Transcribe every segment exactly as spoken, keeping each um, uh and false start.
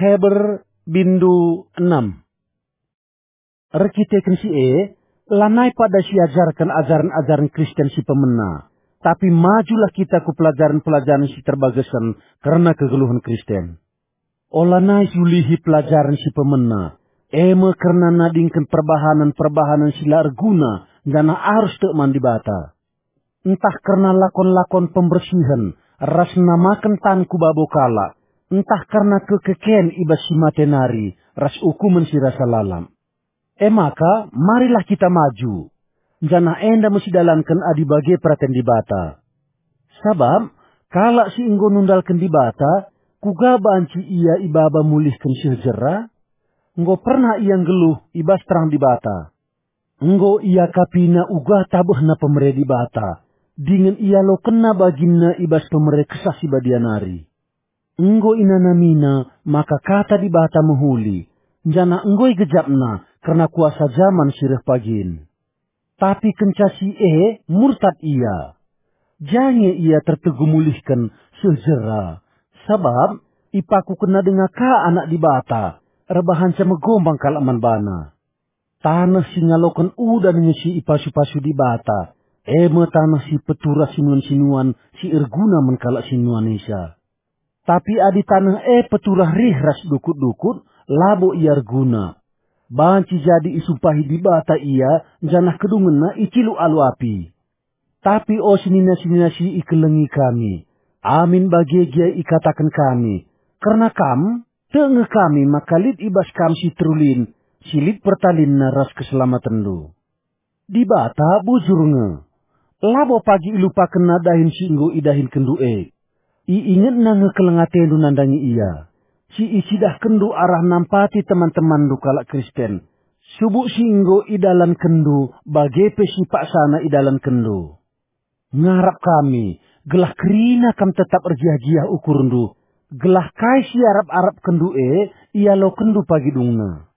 Heber bindu enam. Erkiteken si e, lanai pada siajarken ajaren-ajaren Kristen si pemena, tapi majulah kita ku pelajaren-pelajaren si terbagesen kerna kegeluhen Kristen. Olanai siulihi pelajaren si pemena, e me kerna nadingken perbahanen-perbahanen si la erguna janah arus tek man Dibata. Ntah kerna lakon-lakon pembersihen ras namaken tan ku babo kalak, ntah kerna kekeken i bas si mate nari ras ukumen si rasa lalap. E maka, marilah kita maju, janah enda me sidalanken adi bage peraten Dibata. Sabap, kalak si enggo nundalken Dibata, kuga banci ia ibaba mulihken seh jera? Enggo pernah ia nggeluh i bas terang Dibata. Enggo iakapina uga tabehna pemere Dibata, dingen ialokenna baginna i bas pemere Kesah Si Badia nari. Enggo inanamina maka Kata Dibata mehuli, janah enggo igejapna kerna kuasa jaman si reh pagin. Tapi kenca si e murtad ia. Jange ia tertegu mulihken seh jera, sabap ipakukenna denga ka Anak Dibata, erbahanca megombang kalak man bana. Taneh si ngaloken udan nge si ipasu-pasu Dibata, e me taneh si peturah sinuan-sinuan si erguna man kalak sinuanisa. Tapi adi taneh e peturah rih ras dukut-dukut, labo ia erguna. Banci jadi isumpahi Dibata ia, janah kedungenna iciluk alu api. Tapi o senina-senina si ikelengi kami, amin bage gia ikataken kami, kerna kam, tek nge kami maka lit i bas kam si terulin, si lit pertalinna ras keselamatenndu. Dibata bujur nge. Labo pagi ilupakenna dahin si enggo idahinkenndu e. Iingetna nge keleng atendu nandangi ia, si icidahkenndu arah nampati teman-temanndu kalak Kristen, subuk si enggo idalankenndu bage pe si paksana idalankenndu. Ngarap kami, gelah kerina kam tetap ergiah-giah ukurndu, gelah kai si iarap-arapkenndu e ialokenndu pagi dungna.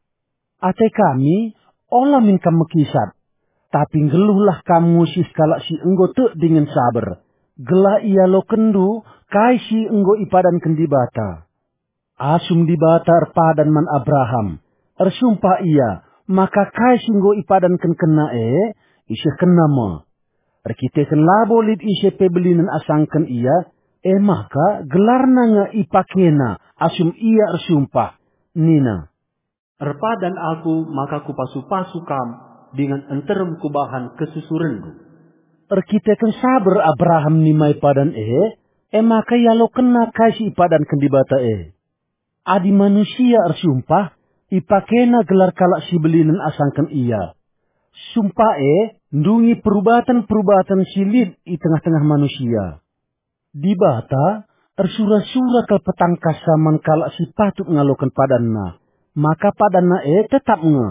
Ate kami, ola min kam mekisat, tapi nggeluhlah kam ngusih kalak si enggo tek dingen saber, gelah ialokenndu kai si enggo ipadanken Dibata. Asum Dibata erpadan man Abraham, ersumpah Ia maka kai si enggo ipadankenna e, isehkenna me. Erkiteken labo lit ise pe belinen asangken ia, e maka gelarna nge ipakena asum ia ersumpah, nina, "Erpadan Aku maka Kupasu-pasu kam, dingen nterem Kubahan kesusurenndu." Erkiteken saber Abraham nimai padan e, e maka ialokenna kai si ipadanken Dibata e. Adi manusia ersumpah, ipakena gelar kalak si belinen asangken ia. Sumpah e ndungi perubaten-perubaten si lit i tengah-tengah manusia. Dibata ersura-sura kal petangkasna man kalak si patut ngaloken padanNa, maka padanNa e tetap nge.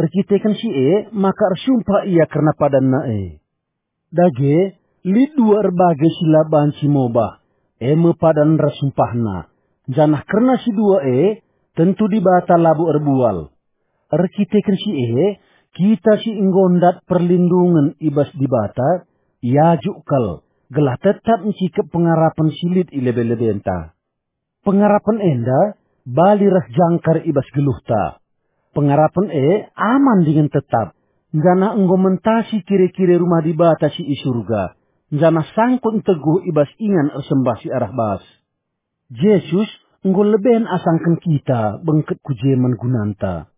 Erkiteken si e maka ersumpah Ia kerna padanNa e. Dage, lit dua erbage si la banci mobah, e me padan ras sumpahna, janah kerna si dua e, tentu Dibata labo erbual. Erkiteken si e, kita si enggo ndat perlindungen i bas Dibata, iajuk kal, gelah tetap ncikep pengarapen si lit i lebe-lebenta. Pengarapen enda bali ras jangkar i bas geluhta. Pengarapen e aman dingen tetap, janah enggo mentasi kire-kire rumah Dibata si i Surga, janah sangkut nteguh i bas ingan ersembah si arah bas. Jesus enggo leben asangken kita bengket ku je man gunanta.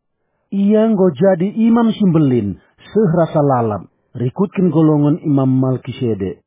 Ia enggo jadi Imam si Mbelin seh rasa lalap, rikutken golongen Imam Malkisedek.